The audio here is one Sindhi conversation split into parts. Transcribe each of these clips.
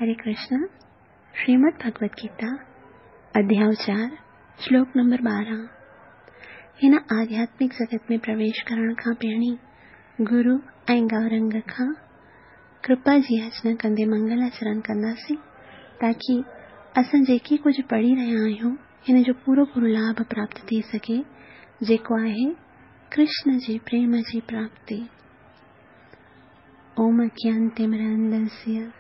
हरे कृष्ण। श्रीमद् भगवत गीता, अध्याय 4, श्लोक नंबर 12। हिन आध्यात्मिक जगत में प्रवेश करण खां पहिरीं गुरु ऐं गौरंग खां कृपा जी याचना कंदे मंगलाचरण कंदासीं, ताकी असां जेके कुझु पढ़ी रहिया आहियूं हिन जो पूरो पूरो लाभ प्राप्त थी सघे, जेको आहे कृष्ण जे प्रेम जी प्राप्ति। ओम अज्ञानतिमिरान्धस्य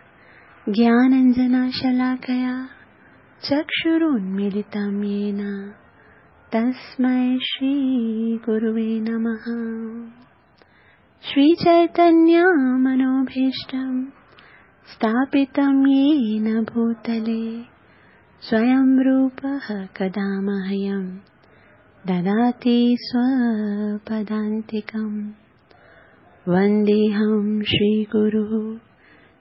ज्ञानाञ्जनशलाकया चक्षुरुन्मीलितं येन तस्मै श्रीगुरुवे नमः। श्रीचैतन्यमनोभीष्टं स्थापितं येन भूतले स्वयं रूपः कदा मह्यं ददाति स्वपदान्तिकं। वन्देऽहं श्रीगुरुः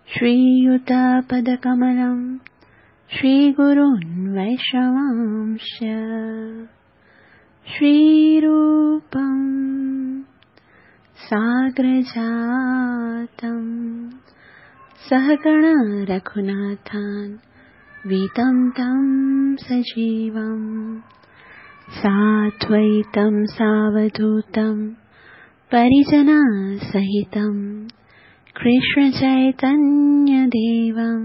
श्रीयुतपदकमलं श्रीगुरून् वैष्णवांश्च। श्रीरूपं साग्रजातं सहगण रघुनाथान् वीतं तं सजीवं साद्वैतं सावधूतं परिजनसहितं कृष्ण चैतन्यदेवं।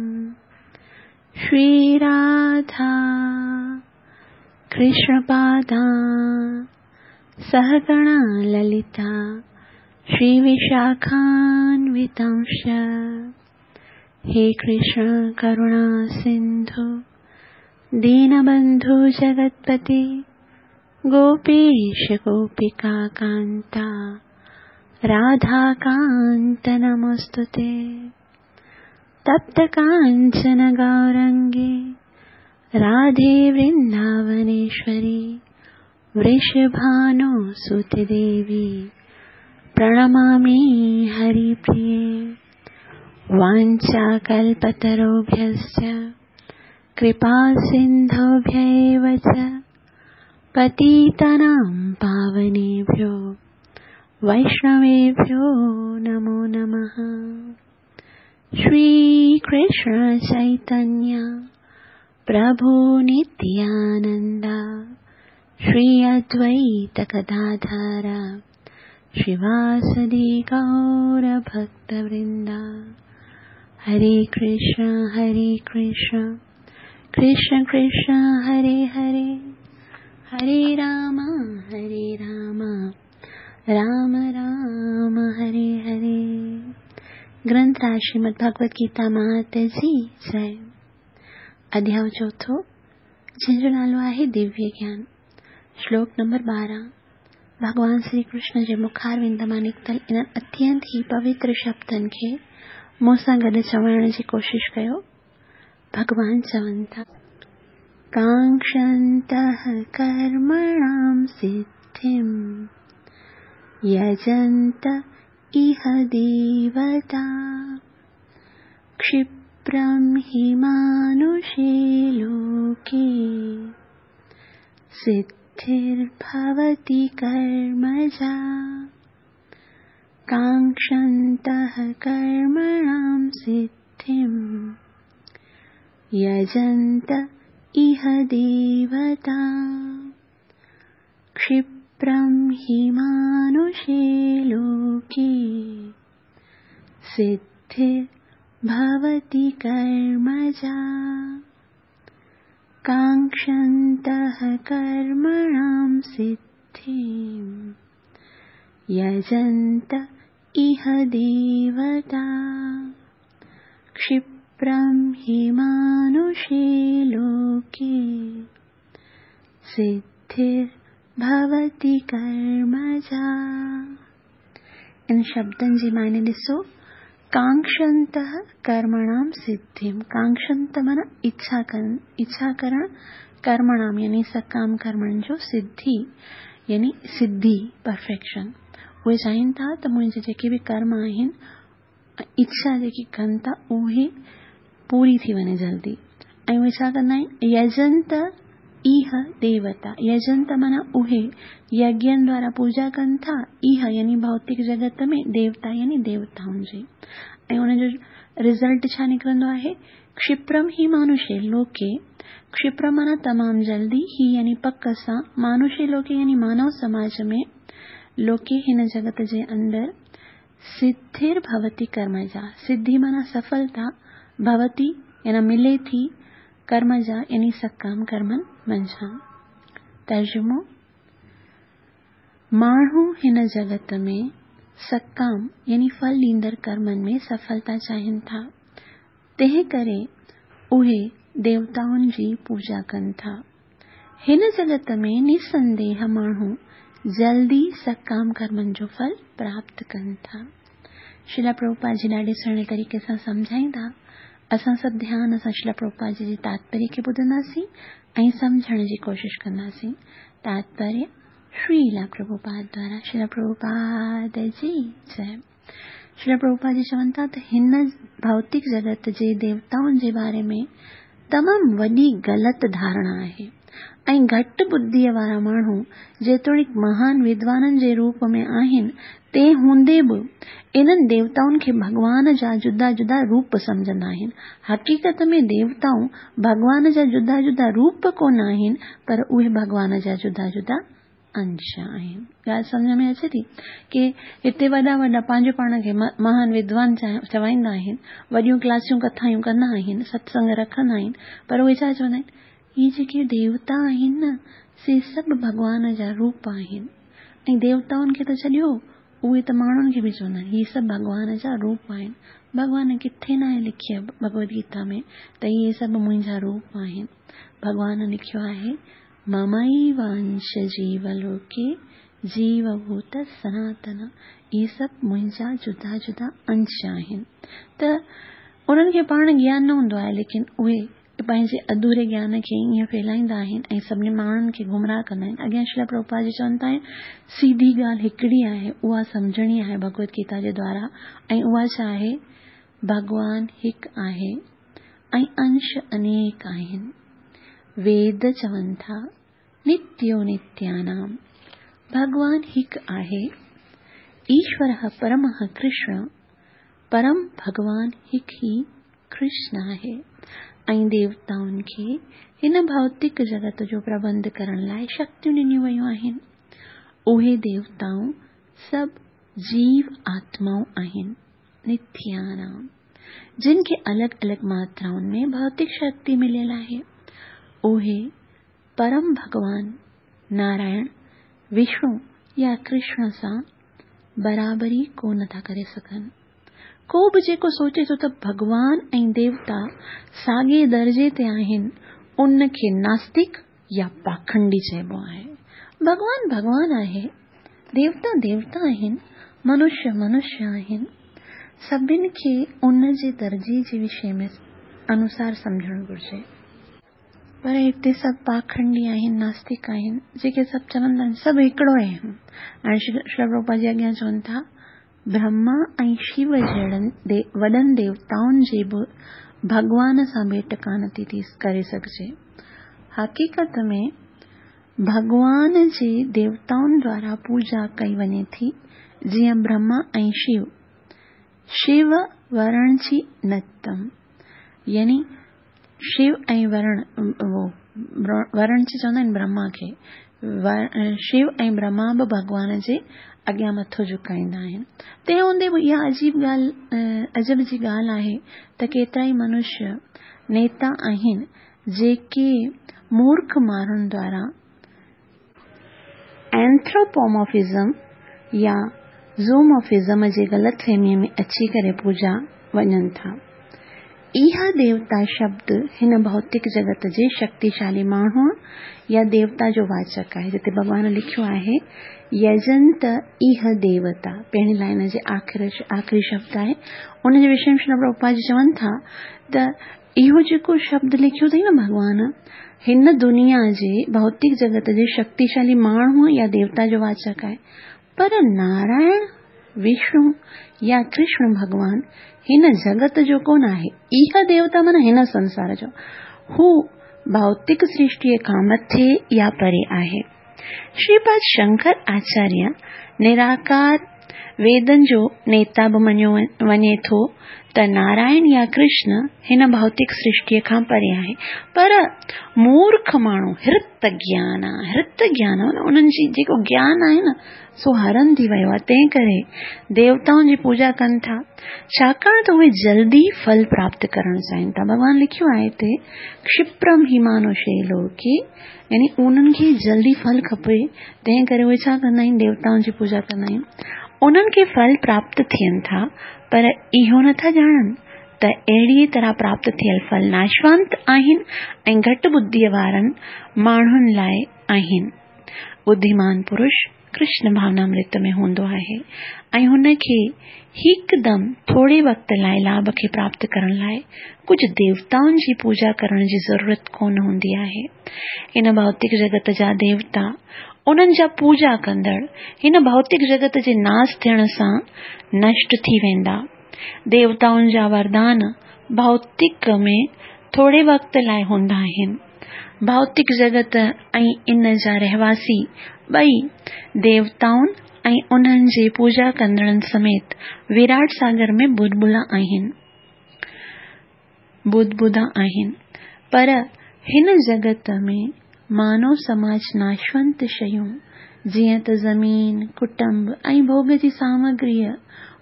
श्रीराधा कृष्णपादा सहगण ललिता श्रीविशाखान्वितांश्च। हे कृष्ण करुणा सिन्धु दीनबन्धु जगत्पते गोपीश गोपिका कान्ता राधाकान्त नमोऽस्तुते। तप्त काञ्चन गौरङ्गे राधे वृन्दावनेश्वरी वृषभानुसुते देवी प्रणमामि हरिप्रिये। वाञ्छाकल्पतरुभ्यश्च कृपासिन्धुभ्य एव च पतितानां पावनेभ्यो वैष्णवेभ्यो नमो नमः। श्री कृष्ण चैतन्य प्रभु नित्यानंद श्री अद्वैत गदाधर श्रीवासदि गौर भक्तवृंद। हरे कृष्ण कृष्ण कृष्ण हरे हरे, हरे राम राम राम हरे हरे। ग्रंथ राज श्रीमद् भगवत गीता मात जी जय। अध्याय चौथों, जंहिंजो नालो आहे दिव्य ज्ञान। श्लोक नंबर 12। भॻवान श्री कृष्ण जे मुखारविंद मां निकितल इन्हनि अत्यंत ई पवित्र शब्दनि खे मूं सां गॾु चवण जी कोशिश कयो। भॻवान चवनि था, काङ्क्षन्तः कर्मणां सिद्धिं यजन्त इह देवता क्षिप्रं हि मानुषे लोके सिद्धिर्भवति कर्मजा। काङ्क्षन्तः कर्मणां सिद्धिं यजन्त इह देवता क्षिप्रं हि मानुषे लोके सिद्धिर्भवति कर्मजा। काङ्क्षन्तः कर्मणां सिद्धिं यजन्त इह देवता क्षिप्रं हि मानुषे लोके सिद्धिर्भवति कर्मजा। इन शब्दनि जी माने ॾिसो, काङ्क्षन्तः कर्मणां सिद्धिं। काङ्क्षन्त माना इच्छा करण, इच्छा करण कर्मणां यानी सकाम कर्मनि जो सिद्धि यानी सिद्धि परफेक्शन। उहे चाहिनि था त मुंहिंजे जेके बि कर्म आहिनि, इच्छा जेकी कनि था उहे पूरी थी वञे जल्दी। ऐं उहे छा कंदा आहिनि, यजंत इह देवता। यजंत माना उहे यज्ञनि द्वारा पूजा कनि था, इह यानी भौतिक जगत में, देवता यानी देवताउनि जी। ऐं हुनजो رزلٽ ڇا نڪرندو آهي؟ ڪشپرم هي مانوشي لوڪي، ڪشپرم معنيٰ تمام جلدي، هي يعني پڪ سان، مانوشي لوڪي يعني مانو سماج ۾، لوڪي هن جڳت جي اندر، سڌر ڀوتي ڪرمجا، سڌي معنيٰ سڦلتا، ڀوتي يعني ملي ٿي، ڪرمجا يعني سڪام ڪرمن منجهان. ترجمو، ماڻهو هن جڳت ۾ سڪام يعني ڦل ڏيندڙ ڪرمن ۾ سڦلتا چاهين ٿا، تنهن ڪري اهي ديوتائن جي پوڄا ڪن ٿا. هن جڳت ۾ نسنديهه ماڻهو جلدي سڪام ڪرمن جو ڦل پراپت ڪن ٿا. شريلا پرڀوپاد جي ڏاڍي سهڻي طريقي سان سمجهائيندا. اسان سڀ ڌيان سان شريلا پرڀوپاد جي جي تاتپريه کي ٻڌنداسين ۽ سمجهڻ جي ڪوشش ڪنداسين. تاتپريه شريلا پرڀوپاد دوارا شريلا پرڀوپاد جي جئه. شريلا پرڀوپاد جي چون ٿا ته هن ڀوتڪ جڳت جي ديوتائن جي باري ۾ تمام وڏي غلط ڌارڻا آهي ۽ گهٽ ٻڌيء وارا ماڻهو جيتوڻيڪ مهان ودوانن جي روپ ۾ آهن تنهن هوندي به انهن ديوتائن کي ڀڳوان جا جدا جدا روپ سمجهندا آهن. حقيقت ۾ ديوتائون ڀڳوان جا جدا جدا روپ ڪونه آهن پر اهي ڀڳوان جا جدا جدا انش آهن. ڳالهه سمجهه ۾ اچي ٿي ڪي هتي وڏا وڏا پنهنجو پاڻ کي مهان ودوان چوائيندا آهن، وڏيون ڪلاسيون ڪٿايون ڪندا آهن، ستسنگ رکندا آهن پر اهي ڇا چوندا آهن هي جيڪي ديوتا آهن نه سي سڀ ڀڳوان جا روپ آهن. ۽ ديوتائن کي ته ڇڏيو، اهي ته ماڻهن کي به چوندا آهن، هي سڀ ڀڳوان جا روپ آهن. ڀڳوان ڪٿي ناهي لکيو ڀڳوت گيتا ۾ ته اهي سڀ منهنجا روپ آهن. ڀڳوان لکيو آهي، مميوانش جيو لوڪي جيو ڀوت سناتن، اهي سڀ منهنجا جدا جدا انش آهن. ته انهن کي پاڻ گيان نه هوندو آهي، ليڪن اهي پنهنجي اڌوري گيان کي ائين ڦهلائيندا آهن ۽ سڀني ماڻهن کي گمراهه ڪندا آهن. اڳيان شريلا پرڀوپاد جي چون ٿا سيڌي ڳالهه هڪڙي آهي اها سمجهڻي آهي ڀڳوت گيتا جي دوارا ۽ اها ڇا آهي ڀڳوان هڪ آهي ۽ انش انيڪ آهن. ويد چون ٿا نتيو نتيانام ڀڳوان هڪ آهي ايشورः پرمه ڪرشن پرم ڀڳوان هڪ ئي ڪرشن آهي ۽ ديوتائن کي هن ڀوتڪ جڳت جو پرٻنڌ ڪرڻ لاء شڪتيون ڏنيون ويون آهن. اهي ديوتائون سڀ جيو آتمائون آهن، نتيانام، جن کي الڳ الڳ ماترائن ۾ ڀوتڪ شڪتي مليل آهي. اهي پرم ڀڳوان نارائڻ، وشنو يا ڪرشن سان برابري ڪو نه ٿا ڪري سگهن. ڪو به جيڪو سوچي ٿو ته ڀڳوان ۽ ديوتا ساڳئي درجي تي آهن، ان کي ناستڪ يا پاکنڊي چئبو آهي. ڀڳوان ڀڳوان آهي، ديوتا ديوتا آهن، منشيه منشيه آهن. سڀن کي ان جي درجي جي وشي ۾ انوسار سمجهڻ گهرجي. پر هتي سڀ پاکنڊي آهن، ناستڪ آهن، جيڪي سڀ چوندا آهن سڀ هڪڙو آهي. هاڻي شريلا پرڀوپاد جي اڳيان چون ٿا، برهما ۽ شو جهڙن وڏن ديوتائن جي به ڀڳوان سان ڀيٽ ڪانه ٿي ٿي ڪري سگهجي. حقيقت ۾ ڀڳوان جي ديوتائن دوارا پوڄا ڪئي وڃي ٿي، جيئن برهما ۽ شو. شو ورڻچي نتم يعني شو ۽ ورڻ ورڻ چي چوندا آهن برهما کي شو ۽ برهما به ڀڳوان جي اڳيان مٿو جهڪائيندا آهن تنهن هوندي به اها عجيب ڳالهه عجب جي ڳالهه آهي ته ڪيترائي منشيه نيتا آهن جيڪي مورک ماڻهن دوارا اينٿروپومورفزم يا زومورفزم جي غلط فهميء ۾ اچي ڪري پوڄا وڃن ٿا. اها ديوتا شبد هن ڀوتڪ جڳت جي شڪتيشالي ماڻهوء يا ديوتا جو واچڪ آهي، جتي ڀڳوان لکيو آهي، يجنت ايه ديوتا، پهرين لائين جي آخري شبد آهي. ان جي وشي ۾ شريلا پرڀوپاد جي چون ٿا ته اهو جيڪو شبد لکيو اٿئي نه ڀڳوان، هن دنيا جي ڀوتڪ جڳت جي شڪتيشالي ماڻهوء يا ديوتا جو واچڪ آهي، پر نارائڻ، وشنو يا ڪرشن ڀڳوان هن جڳت جو ڪونه آهي. اها ديوتا معنيٰ هن سنسار جو. هو ڀوتڪ سرشٽيء کان مٿي يا پري آهي. شريپاد شنڪر آچاريه نراڪار ويدن جو نيتا به مڃيو وڃي ٿو. ته نارائڻ يا ڪرشن هن ڀوتڪ سرشٽيء کان پري آهي. پر مورک ماڻهو هرت گيان، هرت گيان معنيٰ انهن جي جيڪو گيان آهي نه سو هرن ٿي ويو آهي، تنهن ڪري ديوتائن جي پوڄا ڪن ٿا، ڇاڪاڻ ته اهي جلدي ڦل پراپت ڪرڻ چاهين ٿا. ڀڳوان لکيو آهي هتي ڪشپرم هي مانوشي لوڪي يعني انهن کي جلدي ڦل کپي، تنهن ڪري اهي ڇا ڪندا آهن ديوتائن جي پوڄا ڪندا آهن. انهن کي ڦل پراپت ٿين ٿا، پر اهو نه ٿا ڄاڻن ته اهڙيء طرح پراپت ٿيل ڦل ناشوانت آهن ۽ گهٽ ٻڌيء وارن ماڻهن لاء آهن. ٻڌيمان پرش ڪرشن ڀاونامرت ۾ هوندو آهي ۽ هن کي هڪدم ٿوري وقت لاء لاڀ کي پراپت ڪرڻ لاء ڪجهه ديوتائن جي پوڄا ڪرڻ جي ضرورت ڪونه هوندي آهي. هن ڀوتڪ جڳت جا ديوتا، انهن جا پوڄا ڪندڙ، هن ڀوتڪ جڳت جي ناس ٿيڻ سان نشٽ ٿي ويندا. ديوتائن جا وردان ڀوتڪ ۾ ٿوري وقت لاء هوندا آهن. ڀوتڪ جڳت ۽ ان جا رهواسي ٻئي ديوتائن ۽ انهن جي پوڄا ڪندڙن سميت وراٽ ساگر ۾ ٻڏبلا آهن. بدبدا آهن، پر هن جڳت ۾ مانو سماج ناشونت شيون، جيئن ته زمين، ڪٽنب ۽ ڀوڳ جي سامگريء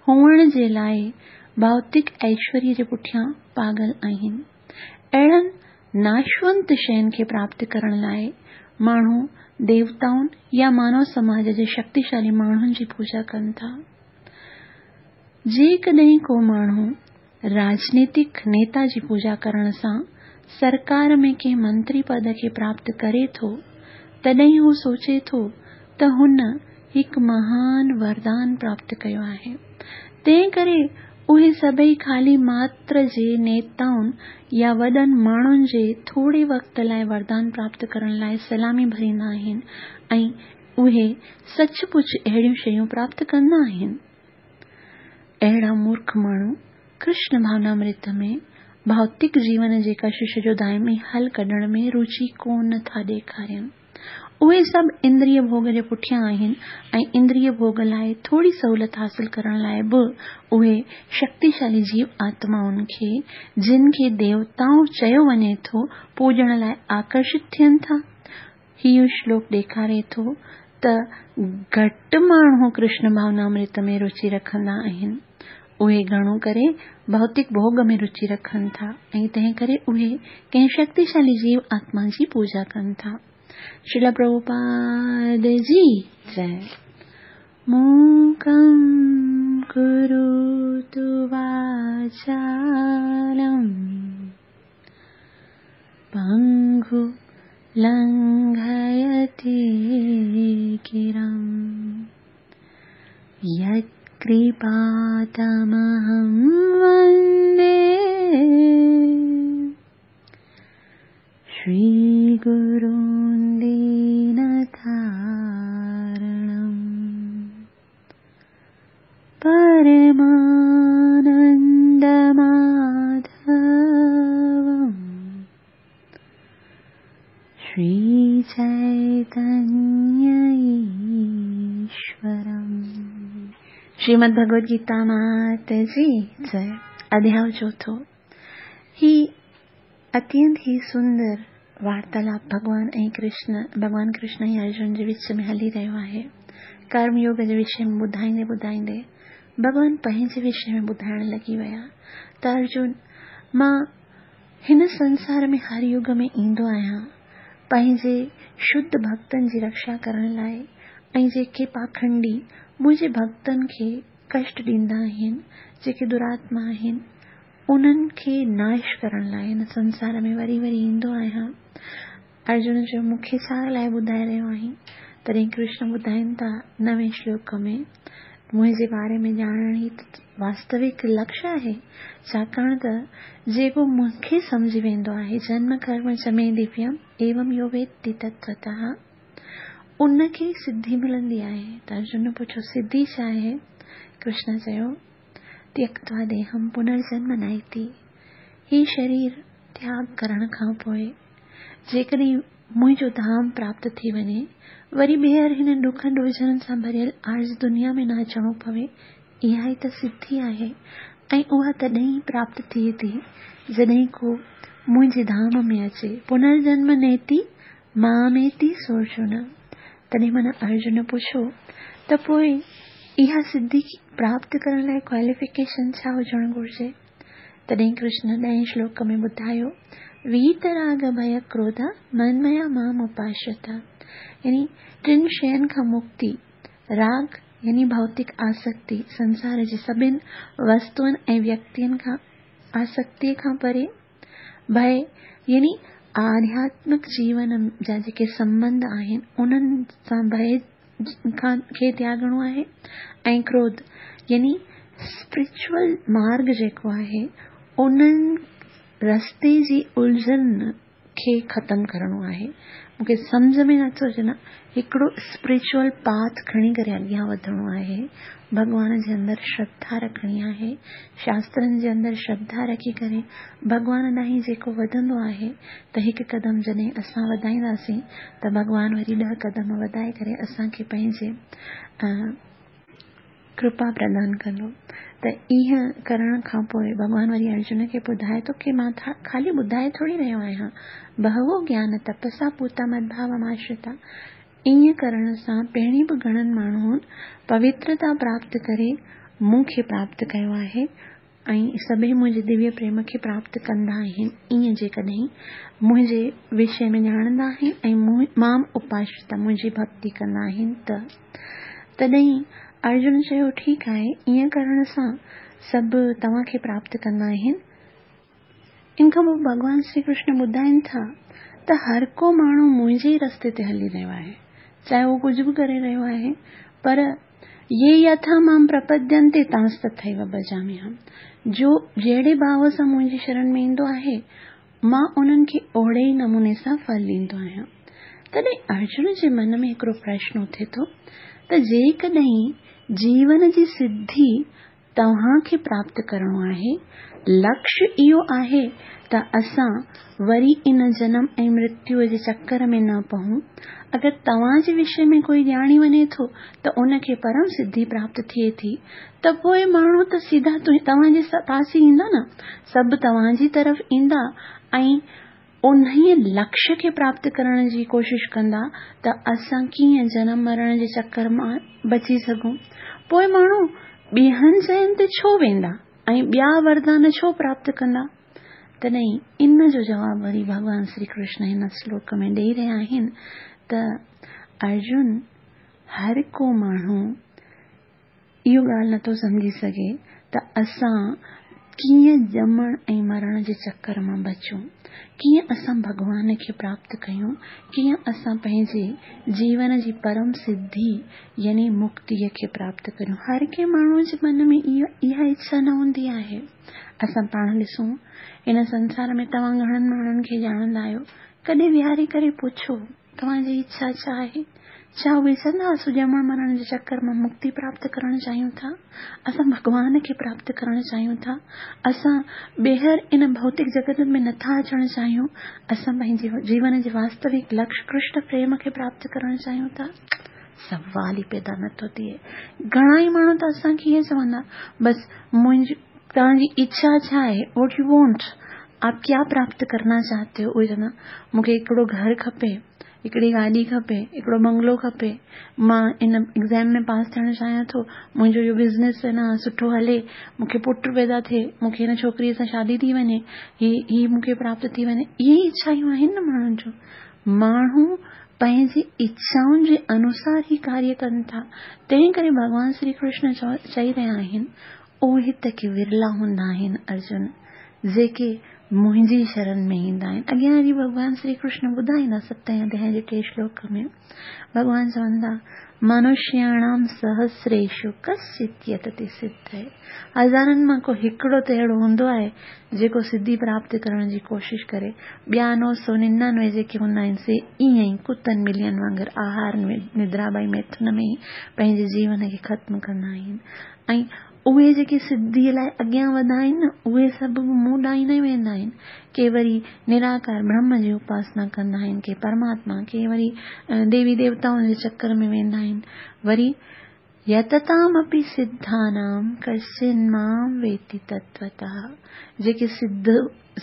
هئڻ جي لاء ڀوتڪ ايشوريه جي پٺيان پاڳل آهن. اهڙن ناشونت شين کي پراپت ڪرڻ لاء ماڻهو ديوتائن يا مانو سماج جي شڪتيشالي ماڻهن جي پوڄا ڪن ٿا. جيڪڏهن ڪو ماڻهو راڄنيتڪ نيتا جي پوڄا ڪرڻ سان سرڪار ۾ ڪنهن منتري پد کي پراپت ڪري ٿو، تڏهن هو سوچي ٿو ته هن هڪ مهان وردان پراپت ڪيو آهي. تنهن ڪري اهي سڀئي خالي ماتر جي نيتائن يا وڏن ماڻهن جي ٿوري وقت لاء وردان پراپت ڪرڻ لاء سلامي ڀريندا آهن ۽ اهي سچ پچ اهڙيون شيون پراپت ڪندا آهن. اهڙا مورک ماڻهو ڪرشن ڀاونامرت ۾ ڀوتڪ جيون جي ڪشش جو دائمي حل ڪڍڻ ۾ روچي ڪو نه ٿا ڏيکارين. اهي سڀ اندريه ڀوڳ جي پٺيان آهن ۽ اندريه ڀوڳ لاء ٿوري سهولت حاصل ڪرڻ لاء به اهي شڪتيشالي جيو آتمائن کي، جن کي ديوتائون چيو وڃي ٿو، پوڄڻ لاء آڪرشت ٿين ٿا. هيء شلوڪ ڏيکاري ٿو ته گهٽ ماڻهو ڪرشن ڀاونامرت ۾ رچي رکندا آهن. اهي گهڻو ڪري ڀوتڪ ڀوڳ ۾ رچي رکن ٿا ۽ تنهن ڪري اهي ڪنهن شڪتيشالي جيو آتما جي پوڄا ڪن ٿا. شريلا پرڀوپاد جي جئه. موڪم ڪروتو واچالم. پنگو لنگهيتي گرم يتڪرپا تمهم وندي شري گرون دينتارڻم پرمانند ماڌوم شري چيتنيه ايشورم. شريمد ڀڳوت گيتا مات جي جئه. اڌياء چوٿون. هي اتينت ئي سندر وارتالاپ ڀڳوان ۽ ڪرشن، ڀڳوان ڪرشن ۽ ارجن جي وچ ۾ هلي رهيو آهي. ڪرم يوگ جي وشي ۾ ٻڌائيندي ٻڌائيندي ڀڳوان پنهنجي وشي ۾ ٻڌائڻ لڳي ويا ته ارجن مان هن سنسار ۾ هر يگ ۾ ايندو آهيان پنهنجي شڌ ڀڳتن جي رڪشا ڪرڻ لاء ۽ جيڪي پاکنڊي منهنجي ڀڳتن کي ڪشٽ ڏيندا آهن، جيڪي دراتما آهن، انهن کي ناش ڪرڻ لاء هن سنسار ۾ وري وري ايندو آهيان. ارجن چيو، مون کي ڇا لاء ٻڌائي رهيو آهين؟ تڏهن ڪرشن ٻڌائين ٿا نوين شلوڪ ۾، منهنجي باري ۾ ڄاڻڻ ئي ته واستوڪ لڪش آهي، ڇاڪاڻ ته جيڪو مون کي سمجهي ويندو آهي، جنم ڪرم چ مي دويم ايوم يو ويتي تتوتः، ان کي سڌي ملندي آهي. ته ارجن پڇيو، سڌي ڇا آهي؟ ڪرشن چيو، تيڪتوا ديهم پنرجنم نائتي، هي شرير تياڳ ڪرڻ کان پوء جيڪڏهن منهنجو ڌام پراپت ٿي وڃي، وري ٻيهر هن ڏکن ڏوجهرن سان ڀريل عارض دنيا ۾ نه اچڻو پوي، اها ئي ته سڌي آهي. ۽ اها تڏهن ئي پراپت ٿئي ٿي جڏهن ڪو منهنجي ڌام ۾ اچي. پنرجنم نيتي ماميتي سورجن. تڏهن معنيٰ ارجن پڇيو ته پوء اها سڌي پراپت ڪرڻ لاء ڪواليفڪيشن ڇا هجڻ گهرجي؟ تڏهن ڪرشن ڏهين شلوڪ ۾ ٻڌايو، ويت راڳ ڀي ڪروڌ منميا مام اپاشرتا يعني ٽن شين کان مڪتي، راڳ يعني ڀوتڪ آسڪتي، سنسار جي سڀن وستوئن ۽ ويڪتين کان آسڪتيء کان پري، ڀئه يعني آڌياتمڪ جيون جا جيڪي سنٻنڌ آهن، انهن سان ڀئه کان کي تياڳڻو آهي ۽ ڪروڌ يعني اسپرچوئل مارگ جيڪو آهي، انهن رستي جي الجهن کي ختم ڪرڻو آهي. مون کي سمجهه ۾ نٿو اچي نه هڪڙو اسپرچوئل پاٿ کڻي ڪري اڳيان وڌڻو آهي. ڀڳوان جي اندر شرڌا رکڻي آهي. شاسترن جي اندر شرڌا رکي ڪري ڀڳوان ڏانهن جيڪو وڌندو آهي ته هڪ قدم جڏهن اسان وڌائينداسين ته ڀڳوان وري ڏهه قدم وڌائي ڪري اسان کي پنهنجي ڪرپا پردان ڪندو. ته ائين ڪرڻ کان پوء ڀڳوان وري ارجن کي ٻڌائي ٿو ڪي مان خالي ٻڌائي ٿوري رهيو آهيان. بهوو گيان تپسا پوتا مدڀاوماشرتا ائين ڪرڻ سان پهرين به گهڻن ماڻهن پوترتا پراپت ڪري مون کي پراپت ڪيو آهي ۽ سڀئي منهنجي دويه پريم کي پراپت ڪندا آهن. ائين جيڪڏهن منهنجي وشي ۾ ڄاڻندا آهن ۽ مام اپاشرتا منهنجي ڀڳتي ڪندا آهن ته. تڏهن ارجن چيو، ٺيڪ آهي، ائين ڪرڻ سان سڀ توهان کي پراپت ڪندا آهن. ان کان پوء ڀڳوان شري ڪرشن ٻڌائين ٿا ته هر ڪو ماڻهو منهنجي ئي رستي تي هلي رهيو آهي، چاهي اهو ڪجهه به ڪري رهيو آهي، پر يي يٿا مام پرپدينتي تانس تٿيو ڀجاميهم، جو جهڙي ڀاو سان منهنجي شرڻ ۾ ايندو آهي، مان انهن کي اوهڙي ئي نموني سان ڦل ڏيندو آهيان. تڏهن ارجن جي من ۾ هڪڙو پرشن اٿي ٿو ته جيڪڏهن جيون جي سڌي توهان کي پراپت ڪرڻو آهي. لڪش اهو آهي ته اسان وري ان جنم ۽ مرتيوء جي چڪر ۾ نه پئون. اگر توهان جي وشي ۾ ڪوئي ڄاڻي وڃي ٿو ته ان کي پرم سڌي پراپت ٿئي ٿي ته پوء ماڻهو ته سڌا توهان جي پاس ئي ايندا نه. سڀ توهان جي طرف ايندا ۽ انهيء لڪش کي پراپت ڪرڻ جي ڪوشش ڪندا ته اسان ڪيئن جنم مرڻ جي چڪر مان بچي سگهون. پوء ماڻهو ٻين جاين تي ڇو ويندا ۽ ٻيا وردان ڇو پراپت ڪندا؟ تڏهن ان جو جواب وري ڀڳوان شري ڪرشن هن شلوڪ ۾ ڏيئي رهيا آهن ته ارجن! هر ڪو ماڻهو اهو ڳالهه نٿو سمجهي سگهي ته اسان ڪيئن ڄمڻ ۽ مرڻ جي چڪر مان بچون، ڪيئن اسان ڀڳوان کي پراپت ڪيون، ڪيئن اسان پنهنجي جيون جي پرم سڌي يعني مڪتيء کي پراپت ڪريون. هر ڪنهن ماڻهوء جي من ۾ اها اڇا نه هوندي آهي. اسان پاڻ ڏسون، هن سنسار ۾ توهان گهڻن ماڻهن کي ڄاڻندا آهيو، ڪڏهن ويهاري ڪري پڇو، توهان جي اڇا ڇا آهي؟ ڇا اهي چوندا اسون ڄمڻ مرڻ جي چڪر مان مڪتي پراپت ڪرڻ چاهيون ٿا؟ اسان ڀڳوان کي پراپت ڪرڻ چاهيون ٿا؟ اسان ٻيهر ان ڀوتڪ جڳت ۾ نٿا اچڻ چاهيون؟ اسان پنهنجي جيون جي واستوڪ لڪش ڪرشن پريم کي پراپت ڪرڻ چاهيون ٿا؟ سوال ئي پيدا نٿو ٿئي. گهڻا ئي ماڻهو ته اسان کي ائين چوندا بس منهنجي توهان جي اڇا ڇا آهي؟ What you want? آپ ڪيا پراپت ڪرنا چاهتي هو؟ اهي چوندا مون کي هڪڙو گهر کپي، هڪڙي گاڏي کپي، هڪڙو بنگلو کپي، مان ان ايگزام ۾ پاس ٿيڻ چاهيان ٿو، منهنجو اهو بزنس نه سٺو هلي، مون کي پٽ پيدا ٿئي، مون کي هن ڇوڪريء سان شادي ٿي وڃي، هي هي مون کي پراپت ٿي وڃي. اهي ئي اڇائون آهن نه ماڻهن جون. ماڻهو پنهنجي اڇائن جي انوسار ئي ڪاريه ڪن ٿا. تنهن ڪري ڀڳوان شري ڪرشن چئي رهيا آهن، اهي ته ڪي ورلا هوندا آهن ارجن، جيڪي منهنجي شرن ۾ ايندا آهن. اڳيان وري ڀڳوان شري ڪرشن ٻڌائيندا ستين اڌيائي جي ٽئين شلوڪ ۾ ڀڳوان چون ٿا، منشياڻام سهسريشو ڪشچت يتتي سڌئي. هزارن مان ڪو هڪڙو ته اهڙو هوندو آهي جيڪو سڌي پراپت ڪرڻ جي ڪوشش ڪري. ٻيا 999 جيڪي هوندا آهن سي ائين ئي ڪتن ٻلين وانگر آهار ندرا ٻئي ميٿن ۾ ئي پنهنجي جيون کي ختم ڪندا آهن ۽ اهي جيڪي سڌيء لاء اڳيان وڌا آهن نه، اهي سڀ به مون ڏانهن ئي نه ويندا آهن. ڪي وري نراڪار برهم جي اپاسنا ڪندا آهن، ڪي پرماتما، ڪي وري ديوي ديوتائن جي چڪر ۾ ويندا آهن. وري يتتام اپي سڌانام ڪشچن مام ويتي تتوتः، جيڪي سڌ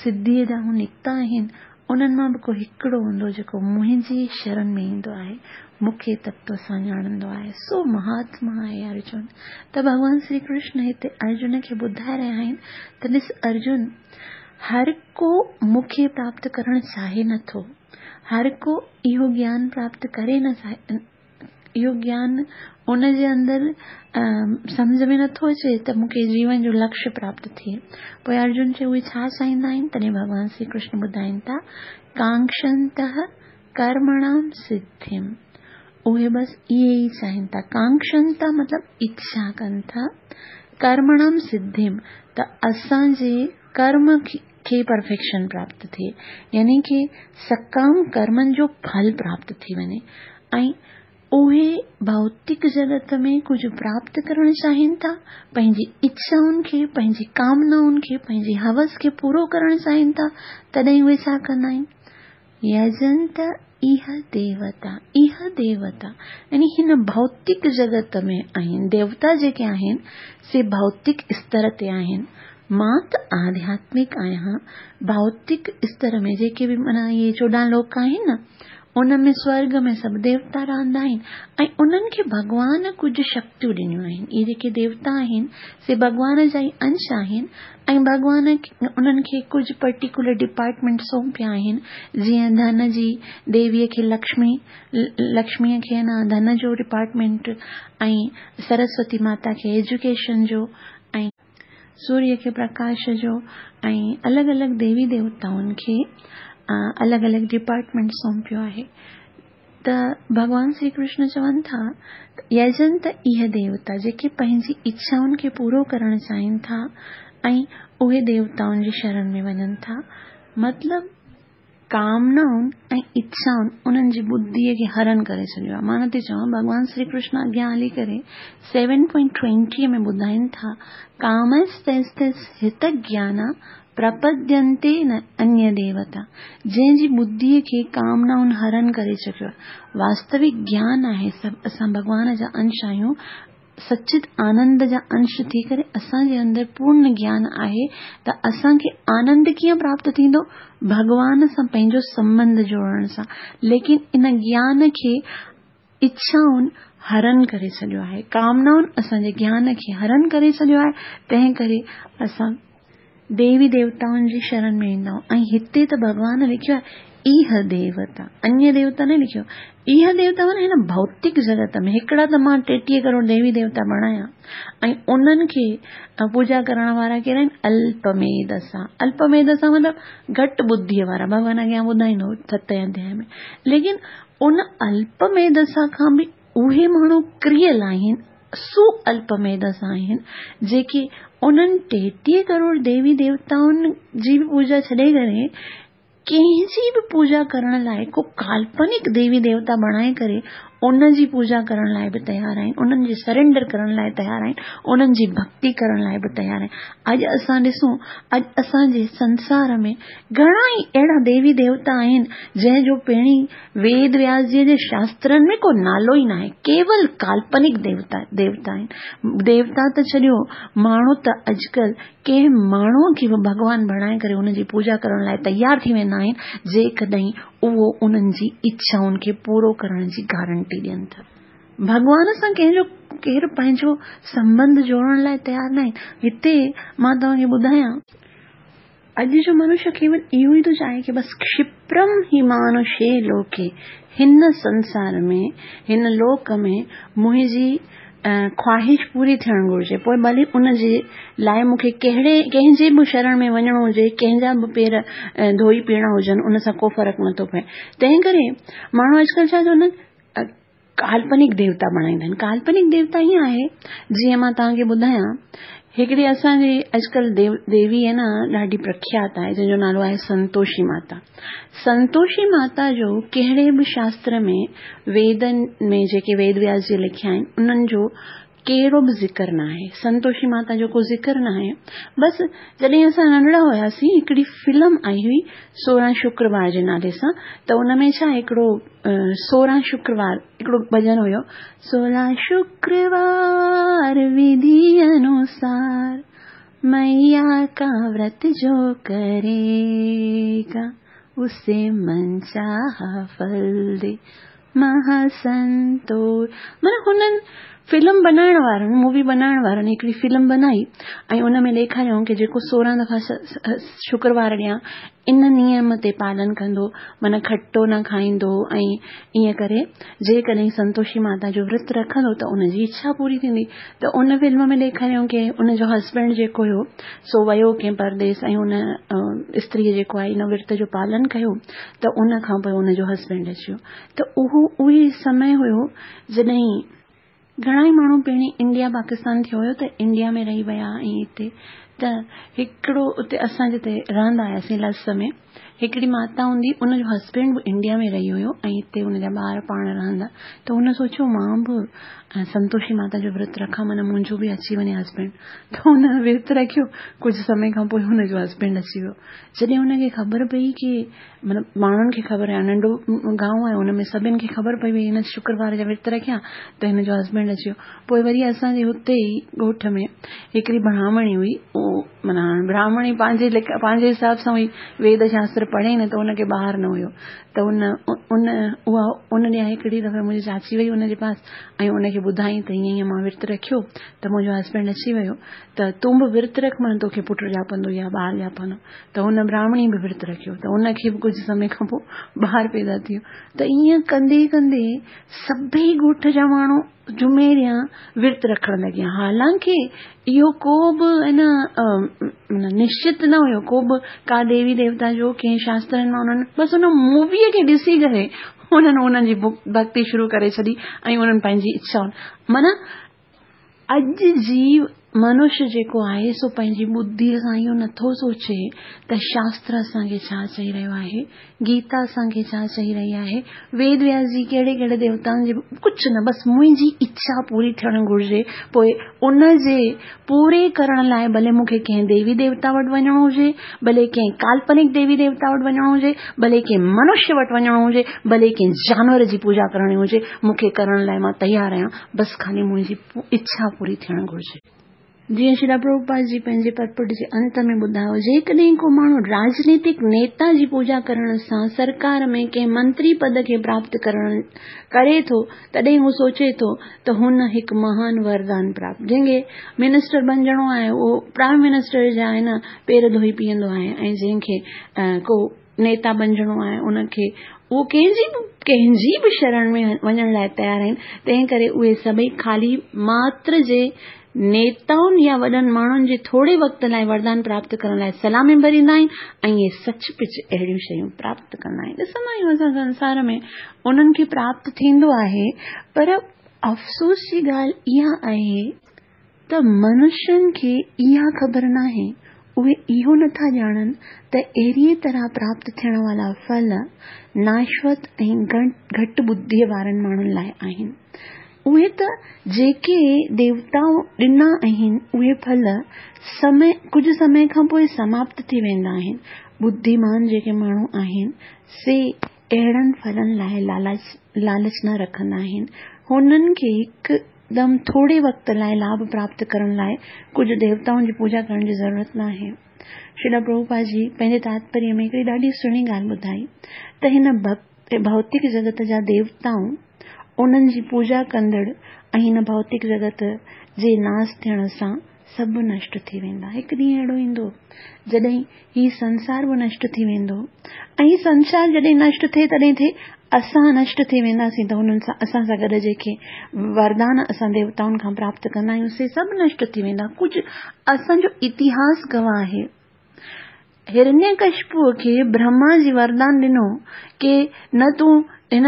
سڌيء ڏانهن نڪتا آهن، انهن مان به ڪو هڪڙو هوندو جيڪو منهنجي شرڻ ۾ ايندو آهي، مون کي تتو سان ڄاڻندو آهي، سو مهاتما آهي ارجن. ته ڀڳوان شري ڪرشن هتي ارجن کي ٻڌائي رهيا آهن ته ڏس ارجن، هر ڪو مون کي پراپت ڪرڻ چاهي نه ٿو، هر ڪو اهو گيان پراپت ڪري نه اهو گيان ان جي اندر سمجهه ۾ نٿو اچي ته مون کي جيون جو لڪشيه پراپت ٿئي. پوء ارجن چيو اهي ڇا چاهيندا آهن؟ تڏهن ڀڳوان شري ڪرشن ٻڌائين ٿا ڪانڪشنتهه ڪرمڻام سڌيم اهي بس اهي ئي چاهين ٿا. ڪانڪشنتهه مطلب اڇا ڪن ٿا، ڪرمڻام سڌيم ته اسان جي ڪرم کي پرفيڪشن پراپت ٿئي يعني ڪي سڪام ڪرمن جو ڦل پراپت ٿي وڃي ۽ اهي ڀوتڪ جڳت ۾ ڪجهه پراپت ڪرڻ چاهين ٿا، پنهنجي اڇائن کي، پنهنجي ڪامنائن کي، پنهنجي هوس کي پورو ڪرڻ چاهين ٿا، تڏهن اهي ڇا ڪندا آهن؟ يجنت اها ديوتا، اها ديوتا يعني هن ڀوتڪ جڳت ۾ آهن، ديوتا جيڪي آهن سي ڀوتڪ استر تي آهن، مان ته آڌياتمڪ آهيان، ڀوتڪ استر ۾ جيڪي به معنيٰ اهي 14 لوڪ آهن نه، ان ۾ سورڳ ۾ سڀ ديوتا رهندا آهن ۽ انهن کي ڀڳوان ڪجهه شڪتيون ڏنيون آهن. اهي جيڪي ديوتا آهن سي ڀڳوان جا ئي انش آهن ۽ ڀڳوان انهن کي ڪجهه پرٽيڪولر ڊپارٽمينٽ سونپيا آهن، جيئن ڌن جي ديويء کي لڪشمي، لڪشميء کي نه ڌن جو ڊپارٽمينٽ ۽ سرسوتي ماتا کي ايجوڪيشن جو ۽ سوريه کي پرڪاش جو ۽ الڳ الڳ ديوي ديوتائن کي الڳ الڳ ڊپارٽمينٽ سونپيو آهي ته ڀڳوان شري ڪرشن چون ٿا ته يجنت اهي ديوتا جيڪي پنهنجي اڇائن کي پورو ڪرڻ چاهين ٿا ۽ اهي ديوتائن جي شرڻ ۾ وڃن ٿا مطلب ڪامنائن ۽ اڇائن انهن جي ٻڌيء کي هرڻ ڪري ڇڏيو آهي. مان نٿي چوان، ڀڳوان شري ڪرشن اڳيان هلي ڪري سيون پوائنٽ ٽوئنٽيء ۾ ٻڌائين ٿا، ڪامستيستيس هت گيانا پرپدينتي نه انيه ديوتا، جنهن جي ٻڌيء کي ڪامنائن هرڻ ڪري چڪيو آهي. واستوڪ گيان آهي سڀ اسان ڀڳوان جا انش آهيون، سچت آنند جا انش ٿي ڪري اسان جي اندر پورن گيان آهي ته اسان کي آنند ڪيئن پراپت ٿيندو؟ ڀڳوان سان پنهنجو سنٻنڌ جوڙڻ سان. ليڪن ان گيان کي اڇائن هرڻ ڪري ڇڏيو آهي، ڪامنائن اسان جي گيان کي هرڻ ڪري ڇڏيو آهي، تنهن ڪري اسان ديوي ديوتائن جي شرڻ ۾ ويندا آهيون ۽ هتي ته ڀڳوان لکيو آهي ايهه ديوتا، انيه ديوتا نه لکيو. ايهه ديوتا معنيٰ هن ڀوتڪ جڳت ۾ هڪڙا ته مان 33 ڪروڙ ديوي ديوتا بڻايا ۽ انهن کي پوڄا ڪرڻ وارا ڪير آهن؟ الپميڌسا. الپميڌسا مطلب گهٽ ٻڌيء وارا. ڀڳوان اڳيان ٻڌائيندو ستين اڌياء ۾. ليڪن ان الپميڌسا کان به اهي ماڻهو ڪريل آهن، سو الپميڌس آهن، جيڪي انهن 33 ڪروڙ ديوي ديوتائن جي به پوڄا ڇڏي ڪري ڪنهن جي به پوڄا ڪرڻ لاء ڪو ڪالپنڪ ديوي ديوتا بڻائي ڪري ان جي پوڄا ڪرڻ لاء به تيار آهن، انهن جي سرينڊر ڪرڻ لاء تيار آهن، انهن جي ڀڳتي ڪرڻ لاء به تيار آهن. اڄ اسان ڏسون، اڄ اسان جي سنسار ۾ گهڻا ئي اهڙا ديوي ديوتا آهن، جنهن جو پهرين ويد وياس جيء جي شاسترن ۾ ڪو نالو ئي ناهي، ڪيول ڪالپنڪ ديوتا ديوتا آهن. ديوتا ته ڇڏيو، ماڻهو ته اڄڪلهه ڪنهن ماڻهوء کي به ڀڳوان بڻائي ڪري ان جي پوڄا ڪرڻ لاء تيار ٿي ويندا آهن، جيڪڏهن اهو انهن جي اڇائن کي پورو ڪرڻ جي گارنٽي ڏين ته. ڀڳوان سان ڪنهن جو ڪير پنهنجو سنٻنڌ جوڙڻ لاء تيار ناهي. هتي مان توهان کي ٻڌايان. اڄ جو منشيه ڪيول اهو ئي ٿو چاهي ڪي بس ڪشپرم هي مانوشي لوڪي، هن سنسار ۾، هن لوڪ ۾ منهنجي خواهش پوري ٿيڻ گهرجي، پوء ڀلي ان جي لاء مون کي ڪهڙي ڪنهن جي به شرڻ ۾ وڃڻو هجي، ڪنهن جا به پير ڌوئي پيئڻا هجن، ان سان ڪو فرق نٿو پئي. تنهن ڪري ماڻهو اڄڪلهه ڇا چوندا آهن، ڪالپنڪ ديوتا بڻائيندا آهن. ڪالپنڪ ديوتا ائين آهي جيئن مان توهان کي ٻڌايان هڪڙي اسان جي اڄڪلهه ديو ديوي آهي نه ڏاڍي پرکيات آهي جنهن جو نالو آهي سنتوشي ماتا. سنتوشي ماتا جو ڪهڙي به شاستر ۾ ويدن ۾ جيڪي ويد وياس جي لکيا آهن انهن جو ڪهڙو به ذڪر ناهي، سنتوشي ماتا جو ڪو ذڪر ناهي. بس جڏهن اسان ننڍڙا هياسين هڪڙي فلم آئي هئي 16 شڪروار جي نالي سان، ته ان ۾ ڇا هڪڙو 16 شڪروار هڪڙو ڀڄن هيو، 16 شڪروار وڌي انوسار مئيا ڪا ورت جو ڪريگا اسي من چاها ڦل the مهاسنتو. معنيٰ هنن فلم بنائڻ وارن، مووي بنائڻ وارن هڪڙي فلم بنائي ۽ ان ۾ ڏيکاريائون ڪي جيڪو 16 دفعا شڪروار ڏيان ان نيم تي پالن ڪندو، معنيٰ کٽو نه کائيندو ۽ ائين ڪري جيڪڏهن سنتوشي ماتا جو ورت رکندو ته ان جي اڇا پوري ٿيندي. ته ان فلم ۾ ڏيکاريائون ڪي ان جو هسبينڊ جيڪو هيو سو ويو ڪنهن پرديس ۽ ان استريء جيڪو آهي ان ورت جو پالن ڪيو ته ان کان پوء ان جو هسبينڊ اچي ويو. ته اهو اهي سمي هيو جڏهن گهڻا ئي ماڻهو پهرين انڊيا پاڪستان ٿيو هيو ته انڊيا ۾ رهي ويا ۽ هتي ته هڪڙو اتي اسان جتي رهندا هياسين لس ۾ هڪڙي ماتا هوندي ان جو هسبينڊ به انڊيا ۾ رهي هيو ۽ هتي ان جا ٻار پاڻ رهندا ته هن سوچيو مان به سنتوشي ماتا جو ورت رکان معنيٰ منهنجو به اچي وڃي هسبينڊ ته هن ورت رکيو ڪجهه سمي کان پوء هن جو هسبينڊ اچي ويو جڏهن هن کي خبر پئي ڪي مطلب ماڻهن کي خبر آهي ننڍو گانو آهي ان ۾ سڀن کي خبر پئي وئي هن شڪروار جا ورت رکيا ته هن جو هسبينڊ اچي ويو پوء وري اسان جي هتي ئي ڳوٺ ۾ هڪڙي براهمڻي هئي اهو معنيٰ هاڻي براهمڻي پنهنجي ليک پنهنجي حساب سان هئي ويد شاستر پڙهي نه ته ان کي ٻار نه هيو ته ان ان اها ان ڏينهن هڪڙي دفعي منهنجي چاچي وئي ان جي پاس ۽ ان کي ٻڌائين ته هيئن هيئن مان ورت رکيو ته منهنجو هسبينڊ اچي ويو ته تون به ورت رک معنيٰ توکي پٽ ڄاپندو يا ٻار ڄاپندو ته هن براهمڻي به ورت رکيو ته ان کي به ڪجهه سمي کان پوء ٻار پيدا ٿي ويو ته ائين ڪندي ڪندي سڀئي ڳوٺ جا ماڻهو جمعي ڏينهن ورت رکڻ لڳيا حالانڪه اهو ڪو به ان نشچت نه هيو ڪو به ڪا ديوي ديوتا جو ڪنهن شاسترن مان انهن بس ان موويء کي ڏسي ڪري انهن انهن جي ڀڳتي شروع ڪري ڇڏي ۽ انهن پنهنجي اڇا معنيٰ اڄ جي منش جيڪو آهي سو پنهنجي ٻڌيء سان اهو نٿو سوچي ته شاستر اسان کي ڇا چئي رهيو آهي، گيتا اسان کي ڇا چئي رهي آهي، ويد وياس جي ڪهڙي ڪهڙي ديوتائن جي ڪجهه نه بس منهنجي اڇا پوري ٿيڻ گهرجي پوء ان جي پوري ڪرڻ لاء ڀلي مون کي ڪنهن ديوي ديوتا وٽ وڃڻو هجي، ڀلي ڪنهن ڪالپنڪ ديوي ديوتا وٽ وڃڻو هجي، ڀلي ڪنهن منش وٽ وڃڻو هجي، ڀلي ڪنهن جانور جي پوڄا ڪرڻي هجي، مون کي ڪرڻ لاء مان تيار آهيان. بس خالي منهنجي اڇا پوري ٿيڻ گهرجي. جيئن شريلا پرڀوپاد جي پنهنجي پرپورٽ جي انت ۾ ٻڌايو، جيڪڏهن ڪو ماڻهو راڄنيتڪ نيتا جي پوڄا ڪرڻ سان سرڪار ۾ ڪنهن منتري پد کي پراپت ڪرڻ ڪري ٿو، تڏهن هو سوچي ٿو ته هن هڪ مهان وردان پراپت جنهن کي منسٽر بنجڻو آهي اهو پرائيم منسٽر جا آهي نه پير ڌوئي پيئندو آهي ۽ جنهن کي ڪو نيتا بنجڻو آهي ان کي اهو ڪنهن جي به ڪنهن جي به شرڻ ۾ وڃڻ لاء تيار آهن تنهن ڪري اهي سڀئي خالي ماتر جي نيتائن يا وڏن ماڻهن جي ٿوري وقت لاء وردان پراپت ڪرڻ لاء سلامي ڀريندا آهن ۽ اهي سچ پچ اهڙيون شيون پراپت ڪندا آهن ڏسندا آهيون اسان سنسار ۾ انهن کي پراپت ٿيندو آهي پر افسوس جي ڳالهه اها آهي ته منشين کي اها خبر ناهي، اهي اهو نٿا ڄاڻن ته اهڙيء طرح پراپت ٿيڻ وارا ڦل ناشوت ۽ گهٽ ٻڌيء وارن ماڻهن لاء آهن. اهي ته جيڪي ديوتائن ڏنا آهن، اهي ڦل سمي ڪجهه سمي کان پوء سماپت ٿي ويندا آهن. ٻڌيمان جيڪي ماڻهو آهن، سي اهڙن ڦلن لاء لالچ نه رکندا آهن. هنن کي هڪ دم ٿوري وقت لاء لاڀ پراپت ڪرڻ لاء ڪجهه ديوتائن جي پوڄا ڪرڻ جي ضرورت ناهي. شريلا پرڀوپاد جي پنهنجي تاتپريه ۾ هڪڙي ڏاڍي سهڻي ڳالهه ٻڌائي ته هن ڀوتڪ جڳت جا ديوتائون، انهن جي پوڄا ڪندڙ ۽ هن ڀوتڪ جڳت جي ناس ٿيڻ سان سڀ نشٽ ٿي ويندا. هڪ ڏينهن اهڙو ايندو جڏهن هي سنسار به نشٽ ٿي ويندو ۽ هي سنسار جڏهن نشٽ ٿئي تڏهن ٿئي اسان نشٽ ٿي وينداسين ته انهن سان اسان سان گڏ جيڪي وردان اسان ديوتائن کان پراپت ڪندا آهيون سي سڀ نشٽ ٿي ويندا. ڪجهه اسان جو اتهاس گواهه آهي. هرنيڪشپوء کي برهما جي وردان ڏنو ڪي نه تون هن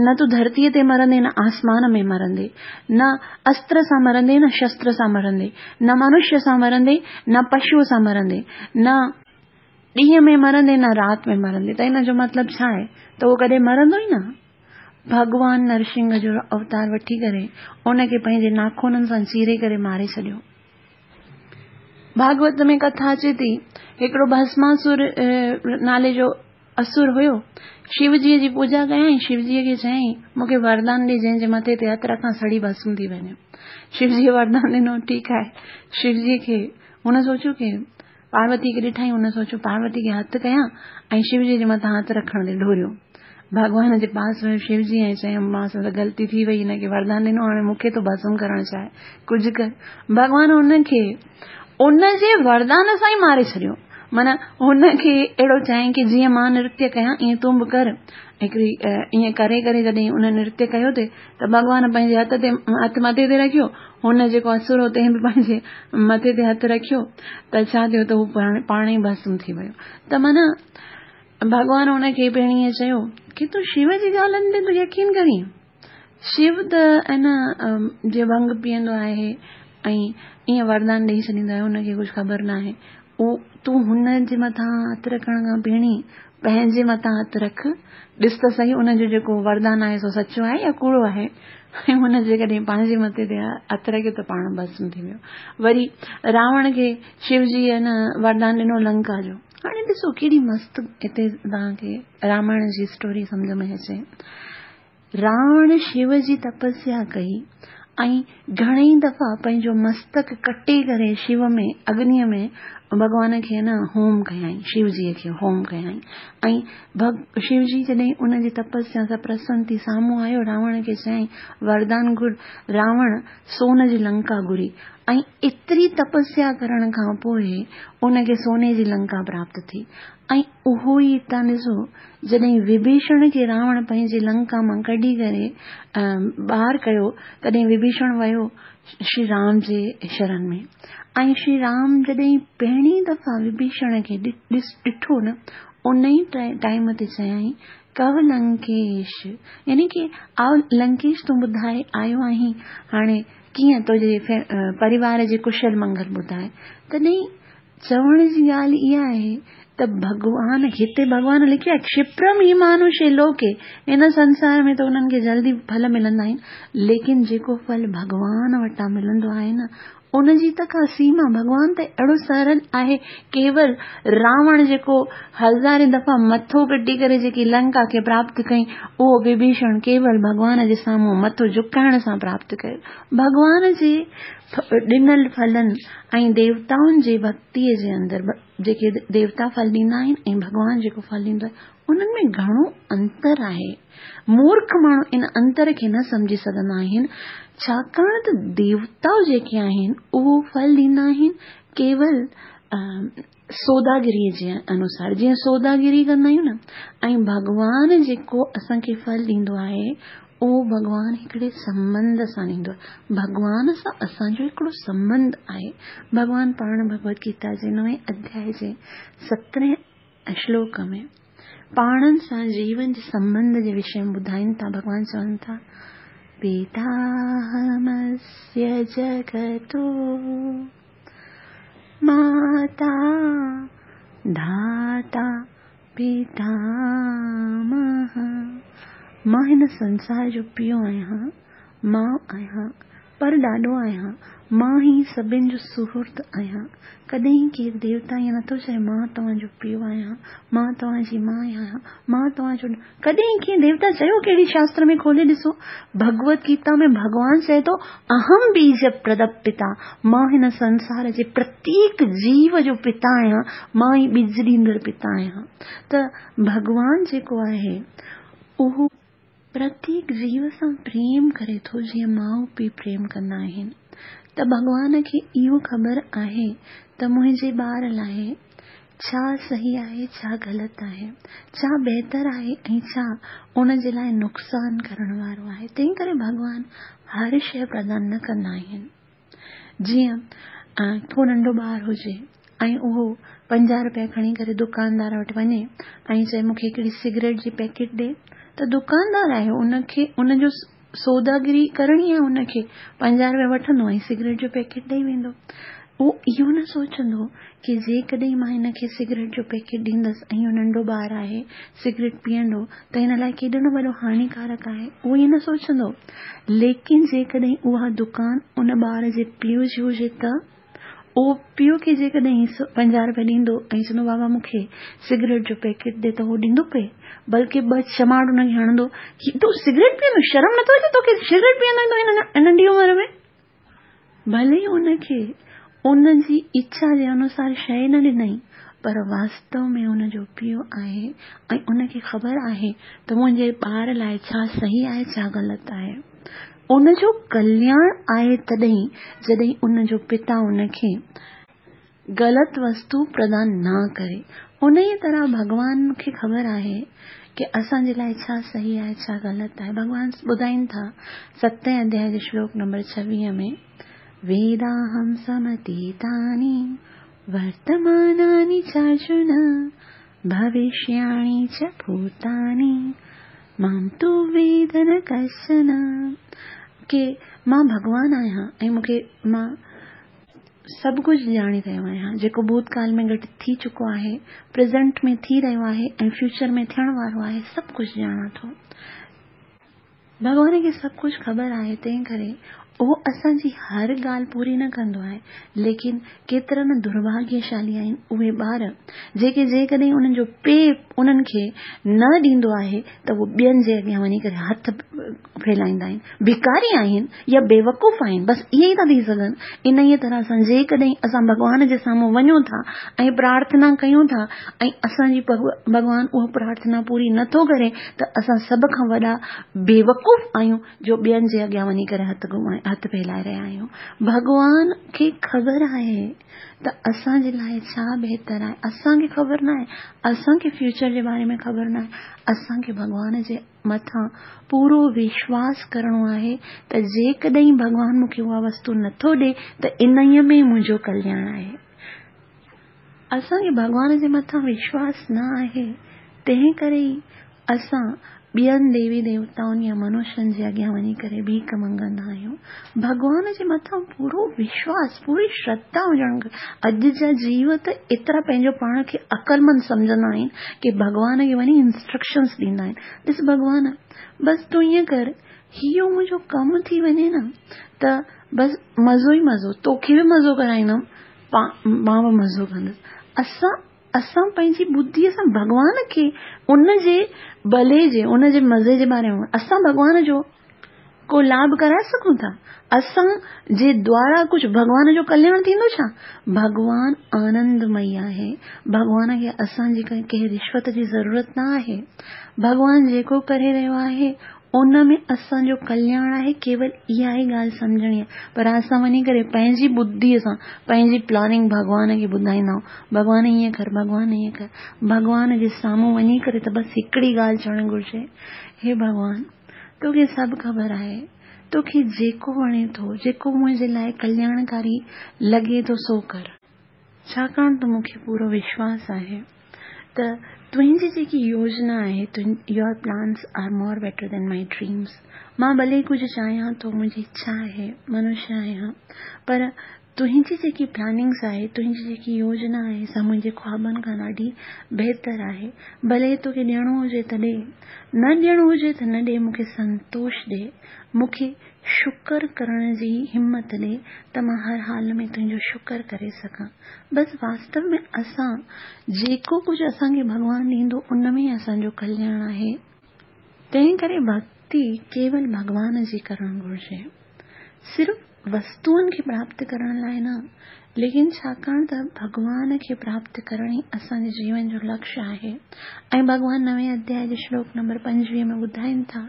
نه تون ڌرتيء تي مرندين نه آسمان ۾ مرندين، نه استر سان مرندين نه شستر سان مرندين، نه منشيه سان مرندين نه پشوء سان مرندين، نه ڏينهن ۾ مرندين نه رات ۾ مرندين ته ان جو مطلب ڇا آهي ته اهو ڪڏهن مرندو ئي نه. ڀڳوان نرسنگهه جو اوتار وٺي ڪري ان کي پنهنجي ناخونن سان چيري ڪري ماري ڇڏيو. ڀاڳوت ۾ ڪٿا اچي ٿي، هڪڙو ڀسماسور نالي جو اسر هيو. شو جيء جي پوڄا ڪيائين، شو جيء کي چيائين، مون کي وردان ڏي جنهن جي مٿي تي هٿ رکان سڙي ڀسم ٿي وڃي. شو جيء وردان ڏنو، ٺيڪ آهي. شو جيء کي هن سوچيو ڪي پاروتي کي ڏٺائين، هن سوچيو پاروتي کي هٿ ڪيان ۽ شو جيء جي مٿان هٿ رکڻ تي ڊوڙيو. ڀڳوان جي پاس ويو شو جي ۽ چيائين، مان سان ته غلطي ٿي وئي، هن کي وردان ڏنو، هاڻي مون کي ٿو ڀسم ڪرڻ چاهي، ڪجهه ڪر. ڀڳوان هن کي ان جي وردان سان ئي ماري ڇڏيو. معنيٰ هن کي اهڙو چيائين ڪي جيئن مان نرتيه ڪيان ائين تون به ڪر. هڪڙي ائين ڪري ڪري جڏهن هن نرتيه ڪيو ٿي ته ڀڳوان پنهنجي هٿ تي هٿ مٿي تي رکيو. هن جيڪو اسر هو تنهن به پنهنجي مٿي تي هٿ رکيو ته ڇا ٿيو ته هو پاڻ ئي ڀسم ٿي ويو. ته معنيٰ ڀڳوان هن کي پڻ ائين چيو ڪي تون شو جي ڳالهين تي ٿو يقين ڪرين؟ شو ته ائين جيئن ڀنگ پيئندو آهي ۽ ائين وردان ڏيئي ڇڏيندو آهي، هن کي ڪجهه خبر ناهي. تون هن جي مٿان هٿ رکڻ کان پهرين پنهنجي مٿان هٿ رک، ڏس ته سهي ان جو جيڪو وردان آهي سو سچو آهي يا ڪوڙو آهي. ۽ هن جيڪڏهن پنهنجي مٿي تي هٿ رکيو ته پاڻ ڀسم ٿي ويو. وري راوڻ کي شو جي ان وردان ڏنو لنڪا جو. هاڻي ڏسو ڪيڏي مست هتي توهان کي رامائڻ جي اسٽوري سمجهه ۾ اچي. راوڻ شو جي تپسيا ڪئي ۽ گهڻئي دفعا پنهنجو مستڪ ڪٽي ڪري شو ۾ اگنيء ۾ ڀڳوان کي نه هوم ڪيائين، شو جيء کي هوم ڪيائين ۽ ڀڳ شو جي جڏهن ان جي تپسيا سان پرسن ٿي سامهون آيو راوڻ کي چيائين وردان گهر راوڻ سون جي لنڪا گهري ۽ ايتري تپسيا ڪرڻ کان پوء ان کي سوني جي لنڪا پراپت ٿي ۽ اهو ئي هتان ڏسو، جڏهن وڀيشڻ کي راوڻ پنهنجي لنڪا مان ڪڍي ڪري ٻاهر ڪيو، تڏهن وڀيشڻ ويو شري رام جي شرن ۾، ۽ شري رام جڏهن پهرين دفعا وڀيشڻ کي ڏٺو نه، ان ئي ٽائيم تي چيائين، ڪوه لنڪيش، يعني ڪي آء لنڪيش تون ٻڌاء آيو آهين، هاڻي ڪيئن تنهنجي پريوار جي ڪشل منگل ٻڌاء. تڏهن چوڻ جي ڳالهه اها آهي ته ڀڳوان هتي ڀڳوان لکيو آهي ڪشپرم هي مانوشي لوڪي هن سنسار ۾ ته انهن کي جلدي ڦل ملندا آهن ليڪن جيڪو ڦل ڀڳوان وٽان ملندو آهي نه ان جي ته ڪا سيما ڀڳوان ته اهڙو سرل آهي ڪيول راوڻ جيڪو هزارين دفعا مٿو ڪٽي ڪري جيڪي لنڪا کي پراپت ڪئي اهو وڀيشڻ ڪيول ڀڳوان جي سامهون مٿو جهڪائڻ سان پراپت ڪيو ڀڳوان جي ڏنل ڦلن ۽ ديوتائن جي ڀڳتيء جي اندر جيڪي ديوتا ڦل ڏيندا آهن ۽ ڀڳوان جيڪو ڦل ڏيندو آهي، انهن ۾ گهڻو انتر آهي. مورک ماڻهو ان انتر کي نه سمجهي سگهندا آهن، ڇاڪاڻ ته ديوتا جيڪي آهن، اهو ڦل ڏيندا آهن ڪيول سوداگريء جي انوسار، جيئن سوداگري ڪندا آهيون نه، ۽ ڀڳوان جيڪو اسان کي ڦل ڏيندو آهي، اهو ڀڳوان هڪڙي سنٻنڌ سان ڏيندو آهي. ڀڳوان سان اسان جو هڪڙو سنٻنڌ آهي. ڀڳوان پاڻ ڀڳوت گيتا جي نوين اڌيائي جي سترهين شلوڪ ۾ پاڻن سان جيون جي سنٻنڌ جي وشي ۾ ٻڌائين ٿا. ڀڳوان چون ٿا، پيتاهمسيه جگتو ماتا ڌاتا پيتامهه، مان هن سنسار جو پيء آهيان، ماء آهيان، پر ڏاڏو آهيان، مان ئي سڀن جو سهرد آهيان. ڪڏهن ڪير ديوتا ائين نٿو چئي مان توهان جو پيء آهيان، مان توهان جي ماء آهيان، مان توهان جو ڪڏهن ڪنهن ديوتا چيو ڪهڙي شاستر ۾ کولي ڏسو ڀڳوت گيتا ۾ ڀڳوان چئي ٿو اهم بيج پرد پتا مان هن سنسار جي پرتيڪ جيو جو پتا آهيان مان ئي ٻج ڏيندڙ پتا آهيان ته ڀڳوان جيڪو آهي اهو پرتيڪ جيو سان پريم ڪري ٿو جيئن ماء پيء پريم ڪندا آهن ته ڀڳوان کي اهو خبر آهي ته منهنجي ٻار لاء ڇا صحيح آهي، ڇا غلط آهي، ڇا بهتر آهي ۽ ڇا ان جي لاء نقصان ڪرڻ وارو آهي. تنهن ڪري ڀڳوان هر شيء پردان نه ڪندا آهن. جيئن ڪو ننڍو ٻار هجي ۽ اهو 50 رپيا کڻي ڪري دڪاندار وٽ وڃي ۽ چئي مون کي هڪڙي سگريٽ جي پيڪيٽ ڏي ته دڪاندار آهي ان کي ان جو سوداگري ڪرڻي آهي ان کي 50 رپيا وٺندو ۽ سگريٽ جو پيڪيٽ ڏئي ويندو. اهو اهو نه سوچندو ڪي جيڪڏهن مان هن کي سگريٽ جو پيڪيٽ ڏيندس ۽ اهو ننڍو ٻار آهي سگريٽ پيئندو ته هن لاء ڪيڏو نه وڏو هاڃيڪارڪ آهي اهو ائين نه سوچندو ليڪن جيڪڏهن اها دڪان ان ٻار جي پيء جي هجي ته اهو پيء کي جيڪڏهن 50 روپيا ڏيندو ۽ چوندو بابا مون کي سگريٽ جو پيڪيٽ ڏي ته اهو ڏيندو پئي بلڪه ٻه چماٽ ان کي هڻندو ڪي تون سگريٽ پيئندو شرم نٿو اچي توکي سگريٽ پيئندو هن ننڍي عمر ۾ ڀلي ان کي ان جي اڇا جي انوسار شيء نه ڏنائين، پر واستو ۾ ان جو پيء آهي ۽ ان کي خبر آهي ته منهنجي ٻار لاء ڇا صحيح آهي ڇا غلط آهي. ان جو ڪلياڻ آهي تڏهن جڏهن ان جو پتا ان کي غلط وستو پردان نه ڪري. انهيء طرح ڀڳوان کي خبر آهي ڪي اسان جي لاء ڇا صحيح آهي ڇا غلط آهي. ڀڳوان ٻڌائين ٿا ستين اڌياء جي شلوڪ نمبر 26 ۾، ويداهم سمتيتاني ورتماناني چارجن ڀوشياڻي چ ڀوتاني مام تو ويد نه ڪشچن. ڪي مان ڀڳوان آهيان ۽ مون کي مان سڀ ڪجهه ڄاڻي رهيو آهيان، جيڪو ڀوتڪال ۾ گهٽت ٿي چڪو آهي، پريزنٽ ۾ ٿي رهيو آهي ۽ فيوچر ۾ ٿيڻ وارو آهي، سڀ ڪجهه ڄاڻان ٿو. ڀڳوان کي سڀ ڪجهه خبر آهي، تنهن ڪري اهو اسان جي هر ڳالهه پوري نه ڪندو آهي، ليڪن ڪيترا نه درڀاڳيشالي آهن اهي ٻار، جيڪي جيڪڏهن انهن جو پيء انهن کي نه ڏيندو آهي ته اهو ٻين جي اڳيان وڃي ڪري هٿ ڦهلائيندا آهن، ڀڪاري آهن يا بيوقوف آهن، بس اهي ئي ٿا ٿي سگهن. انهيء طرح سان جيڪڏهن اسان ڀڳوان جي سامهون وڃون ٿا ۽ پرارٿنا ڪيون ٿا ۽ اسان جي ڀڳوان اها پرارٿنا پوري نه ٿو ڪري ته اسان سڀ کان وڏا بيوقوف آهيون جو ٻين جي اڳيان وڃي ڪري هٿ گهمائي هٿ ڦهلائي رهيا آهيون. ڀڳوان کي خبر آهي ته اسان جي لاء ڇا بهتر آهي. اسان کي خبر ناهي. اسان کي فيوچر جي باري ۾ خبر ناهي. اسان کي ڀڳوان جي مٿان پورو وشواس ڪرڻو آهي ته جيڪڏهن ڀڳوان مون کي اها وستو نٿو ڏئي ته انهيء ۾ منهنجو ڪلياڻ آهي. اسان کي ڀڳوان جي مٿان وشواس نه آهي، تنهن ڪري ئي اسان ٻين ديوي ديوتائن يا منشين جي اڳيان وڃي ڪري ڀيڪ منگندا آهيون. ڀڳوان جي مٿان پورو وشواس، پوري شرڌا هجڻ کپي. اڄ جا جيو ته ايترا پنهنجو پاڻ کي عقلمند سمجهندا آهن ڪي ڀڳوان کي وڃي انسٽرڪشنس ڏيندا آهن. ڏس ڀڳوان، بس تون ائين ڪر، هيء منهنجو ڪم ٿي وڃي نه ته بس مزو ئي مزو، توکي به مزو ڪرائيندم، مان به مزو ڪندس. اسان اسان پنهنجي ٻڌيء سان ڀڳوان کي ان جي ڀلي جي، ان جي مزي جي باري ۾ اسان ڀڳوان جو ڪو لاڀ ڪرائي سگهون ٿا؟ اسان جي دوارا ڪجهه ڀڳوان جو ڪلياڻ ٿيندو ڇا؟ ڀڳوان آنندمئي آهي. ڀڳوان کي اسان جي ڪنهن رشوت جي ضرورت نه آهي. ڀڳوان جيڪو ڪري رهيو آهي، ان ۾ اسان جو ڪلياڻ آهي، ڪيول اها ئي ڳالهه سمجهڻي آهي. پر اسان وڃي ڪري پنهنجي ٻڌيء سان پنهنجي پلاننگ ڀڳوان کي ٻڌائيندا آهيون، ڀڳوان ائين ڪر، ڀڳوان ائين ڪر. ڀڳوان جي سامهون وڃي ڪري ته بس هڪڙي ڳالهه چوڻ گهرجي، هي ڀڳوان! توکي سڀ خبر آهي، توکي جيڪو وڻي ٿو، جيڪو منهنجي لاء ڪلياڻڪاري لڳي ٿو سو ڪر. ڇاڪاڻ ته مون کي پورو وشواس آهي ته تنهنجي جيڪي يوجنا آهي، Your plans are more better than my dreams، مان ڀلي ڪجهه چاهيان ٿو، منهنجي اڇا آهي، منشيه آهيان، پر تنهنجي جيڪي پلاننگس آهي، تنهنجي جيڪي يوجنا آهي سا منهنجي خوابن کان ڏاڍي بهتر آهي. ڀلي توکي ڏيڻو هجي ته ڏي، نه ڏيڻو هجي ته نه ڏي، مون کي سنتوش ڏي، مون کي شڪر ڪرڻ جي همت ڏي ته مان هر حال ۾ تنهنجو شڪر ڪري سگهان. بس واستو ۾ اسان جيڪو ڪجهه اسان کي ڀڳوان ڏيندو ان ۾ ئي اسان جو ڪلياڻ آهي. تنهن ڪري ڀڳتي ڪيول ڀڳوان جي ڪرڻ گهرجي. صرف وستوئن کي پراپت ڪرڻ لاء نه، ليڪن ڇاڪاڻ ته ڀڳوان کي پراپت ڪرڻ ئي اسان جي جيون جو لڪشيه آهي ۽ ڀڳوان نوين اڌياء جي شلوڪ نمبر 25 ۾ ٻڌائين ٿا،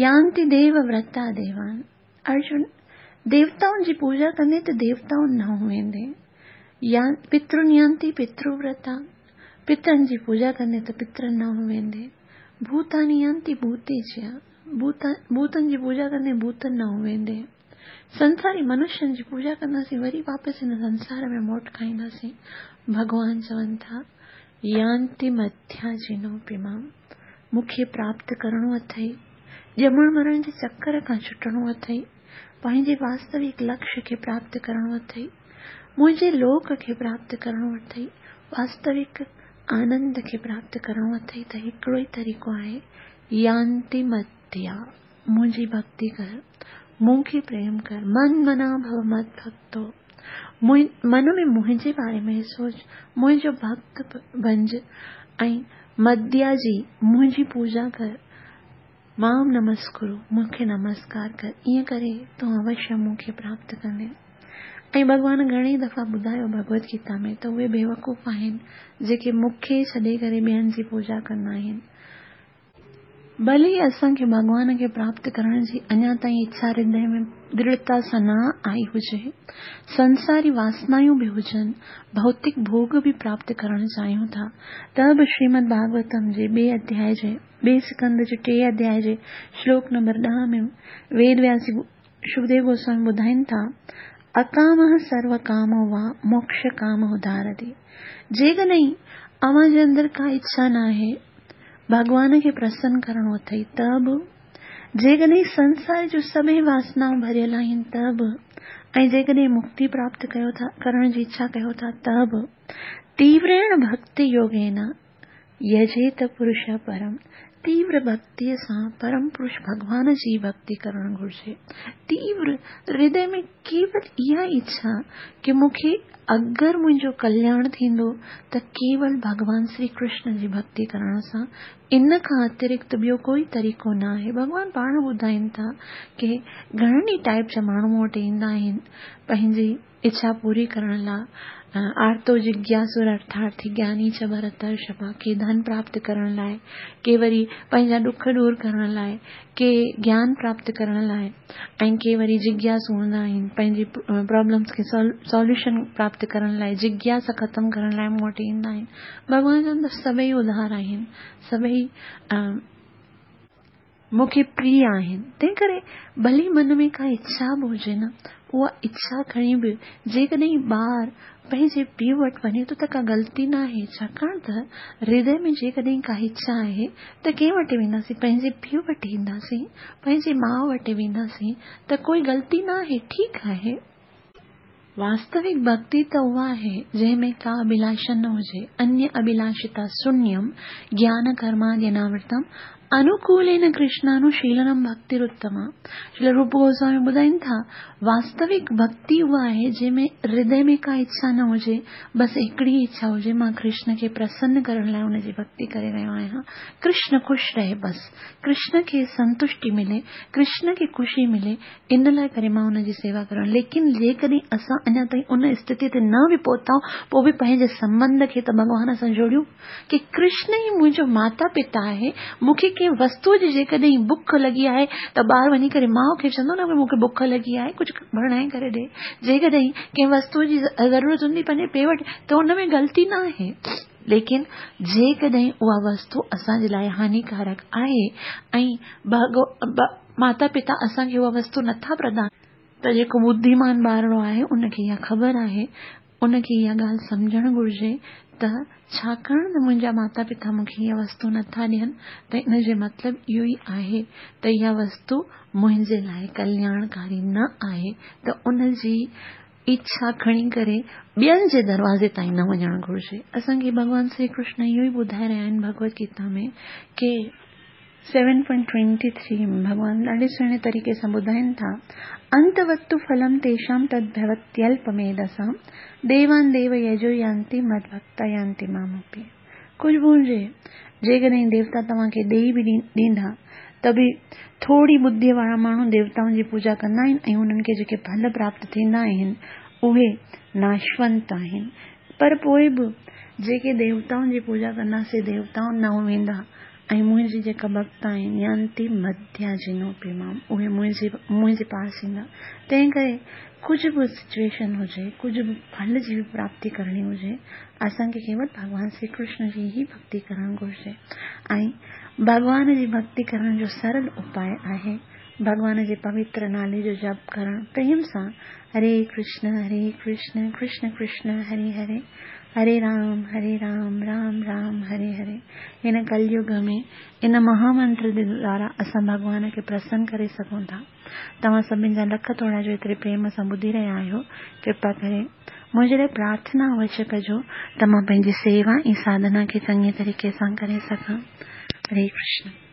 يانتي ديو ورتا ديوان، ارجن! ديوتائن جي پوڄا ڪندين ته ديوتائن ڏانهن ويندين، يا پترن يانتي پتر ورتا، پترن جي پوڄا ڪندين ته پترن ڏانهن ويندين، ڀوتاني يانتي ڀوتيجيا، ڀوتن جي پوڄا ڪندين ڀوتن ڏانهن ويندين. سنساري منشين جي پوڄا ڪنداسين وري واپس هن سنسار ۾ موٽ کائينداسين. ڀڳوان چون ٿا، يانتي مڌياجينوپي مام، مون کي پراپت ڪرڻو اٿئي، ڄمڻ مرڻ جي چڪر کان ڇٽڻو اٿئي، پنهنجي واستوڪ لڪشيه کي پراپت ڪرڻو اٿئي. منهنجي لوڪ کي پراپت ڪرڻو اٿئي، واستوڪ آنند کي پراپت ڪرڻو اٿئي ته هڪڙو ئي طريقو آهي، يانتي مديا، منهنجي ڀڳتي ڪر، مون کي پريم ڪر، من منا ڀو مد ڀڳتو، من ۾ منهنجي باري ۾ سوچ، منهنجو ڀڳت بنج ۽ مديا جي منهنجي پوڄا ڪر، مام نمسڪرو، مون کي نمسڪار ڪر، ائين ڪري تون اوشيه مون کي پراپت ڪندين. ۽ ڀڳوان گهڻي ئي دفعا ٻڌايو ڀڳوت گيتا ۾ ته اهي بيوقوف آهن جيڪي مون کي ڇڏي ڪري ٻين جي پوڄا ڪندا آهن. ڀلي اسان کي ڀڳوان کي پراپت ڪرڻ جي اڃا تائين اڇا هردي ۾ درڙتا سان نه آئي هجي، سنساري واسنايون به هجن، ڀوتڪ ڀوڳ به پراپت ڪرڻ چاهيون ٿا ته به شريمد ڀاڳوتم جي ٻئي اڌيائي جي ٻئي سڪنڌ جي ٽئين اڌيائي جي شلوڪ نمبر ڏهه ۾ ويد وياس جي شڪديو گوسوامي ٻڌائين ٿا، اڪامه سرو ڪامو وا موڪش ڪام ادارتي. جيڪڏهن اوهان جي اندر ڪا اڇا ناهي، ڀڳوان کي پرسن ڪرڻو اٿئي ته به، جيڪڏهن سنسار جون سڀئي واسنائون ڀريل آهن ته به، ۽ جيڪڏهن مڪتي پراپت ڪيو ٿا ڪرڻ جي اڇا ڪيو ٿا ته به، تيوريڻ ڀڳتي يوگين يجيت پرش پرم، تيور ڀڳتيء سان پرم پرش ڀڳوان جي ڀڳتي ڪرڻ گهرجي. تيور هردي ۾ ڪيول اها اڇا ڪي مون کي اگر منهنجو ڪلياڻ ٿيندو ته ڪيول ڀڳوان شري ڪرشن جي ڀڳتي ڪرڻ سان، ان کان اترڪت ٻيو ڪوئي طريقو نه آهي. ڀڳوان پاڻ ٻڌائين ٿا ڪي گهڻن ئي ٽائيپ جا ماڻهو مون وٽ ايندا آهن پنهنجي اڇا پوري ڪرڻ لاء آرتو جگياسر ارٿارٿي گياني چ ڀرترشڀا ڪي ڌن پراپت ڪرڻ لاء، ڪي وري پنهنجا ڏک ڏور ڪرڻ لاء، ڪي گيان پراپت ڪرڻ لاء ۽ ڪي وري جگياسو هوندا آهن پنهنجي پرابلمس کي سوليوشن پراپت ڪرڻ لاء جگياسا ختم ڪرڻ لاء مون وٽ ايندا آهن. ڀڳوان چون ٿا سڀئي اڌار آهن، سڀئي مون کي پريه آهن، تنهنڪري ڀلي من ۾ ڪا اڇا به هجي نه، اها اڇا کڻي به جيڪڏهن ٻار پنهنجي پيء وٽ وڃي ٿو ته ڪا غلطي ناهي، ڇاڪاڻ ته هردي ۾ جيڪڏهن ڪا اڇا آهي ته ڪنهن وٽ وينداسين، پنهنجي پيء وٽ اينداسين، پنهنجي ماء وٽ وينداسين ته ڪوئي غلطي ناهي، ٺيڪ آهي. واستوڪ ڀڳتي ته اها آهي، جنهن ۾ ڪا اڀلاشا نه هجي، انيه اڀلاشتا شونيم گيان ڪرماديناورتم انوڪولين ڪرشنانوشيلنم ڀڳتيراتما. شريل روپ گوسوامي ٻڌائين ٿا، واستوڪ ڀڳتي اها آهي، جنهن ۾ هردي ۾ ڪا اڇا نه هجي، بس هڪڙي ئي اڇا هجي، مان ڪرشن کي پرسن ڪرڻ لاء ان جي ڀڳتي ڪري رهيو آهيان، ڪرشن خوش رهي بس، ڪرشن کي سنتشٽي ملي، ڪرشن کي خوشي ملي، ان لاء ڪري مان ان جي سيوا ڪرڻ ليڪن جيڪڏهن اسان اڃا تائين ان استٿي تي نه به پهتا آهيون پوء به پنهنجي سنٻنڌ کي ته ڀڳوان سان جوڙيون ڪي ڪرشن ئي منهنجو ماتا پتا آهي مون کي ڪنهن وستو جي جيڪڏهن بک لڳي آهي ته ٻار وڃي ڪري ماء کي چوندو نه مون کي بک لڳي آهي ڪجهه بڻائي ڪري ڏي جيڪڏهن ڪنهن وستو جي ضرورت هوندي پنهنجي پيء وٽ ته ان ۾ غلطي نه آهي ليڪن جيڪڏهن اها وستو اسان جي لاء هانيڪارڪ آهي ۽ ماتا پتا اسان کي اها وستو نٿا پردان ته جيڪو ٻڌيمان ٻارڙو آهي ان کي اها خبر آهي، ان کي اها ڳالهه سمجهڻ گهرجي ته ڇاڪاڻ ته منهنجا ماتا پتا مون کي اها وستو نٿا ڏين ته ان جو مطلب اهو ئي آهي ته اها وستو منهنجي لاء ڪلياڻڪاري نه آهي ته ان جي اڇا کڻي ڪري ٻين جي دروازي تائين نه وڃڻ گهرجي. اسان کي ڀڳوان شري ڪرشن اهو ئي ٻڌائي رهيا آهن ڀڳوت گيتا ۾ ڪي سيون پوائنٽ ٽوئنٽي ٿري ۾ ڀڳوان ڏاڍي سهڻي طريقي سان ٻڌائين ٿا، انتوتو ڦلم تيشام تد ڀوتيلپميڌسام ديوان ديو يجو يانتي مد ڀڪتا يانتي مامپي. ڪجهه به هجي، جيڪڏهن ديوتا توهان کي ڏيئي به ڏيندا ته به ٿوري ٻڌيء وارا ماڻهو ديوتائن جي پوڄا ڪندا آهن ۽ انهن کي جيڪي ڦل پراپت ٿيندا آهن، اهي ناشونت آهن. پر پوء به جيڪي ديوتائن جي پوڄا ڪندا، سي ديوتائن ڏانهن ويندا ۽ منهنجي جيڪا ڀڳت آهن، يانتي مدياجنوپي مام، اهي منهنجي منهنجي پاس ايندا. تنهن ڪري ڪجهه به سچوئيشن هجي، ڪجهه به ڦل جي به پراپتي ڪرڻي هجي، اسان کي ڪيول ڀڳوان شري ڪرشن جي ئي ڀڳتي ڪرڻ گهرجي ۽ ڀڳوان جي ڀڳتي ڪرڻ جو سرل اپاء آهي ڀڳوان جي پوتر نالي جو جپ ڪرڻ پريم سان هري ڪرشن هري ڪرشن ڪرشن ڪرشن هري هري هري رام هري رام رام رام هري هري هن ڪليگ ۾ ان مها منتر جي دوارا اسان ڀڳوان کي پرسن ڪري سگهون ٿا توهان سڀن جا لک ٿورا جو ايتري پريم سان ٻڌي رهيا آهيو ڪرپا ڪري. منهنجي لاءِ پرارٿنا اوشيه ڪجو ته مان پنهنجي سيوا ۽ ساڌنا کي چڱي طريقي سان ڪري سگهان. هري ڪرشن.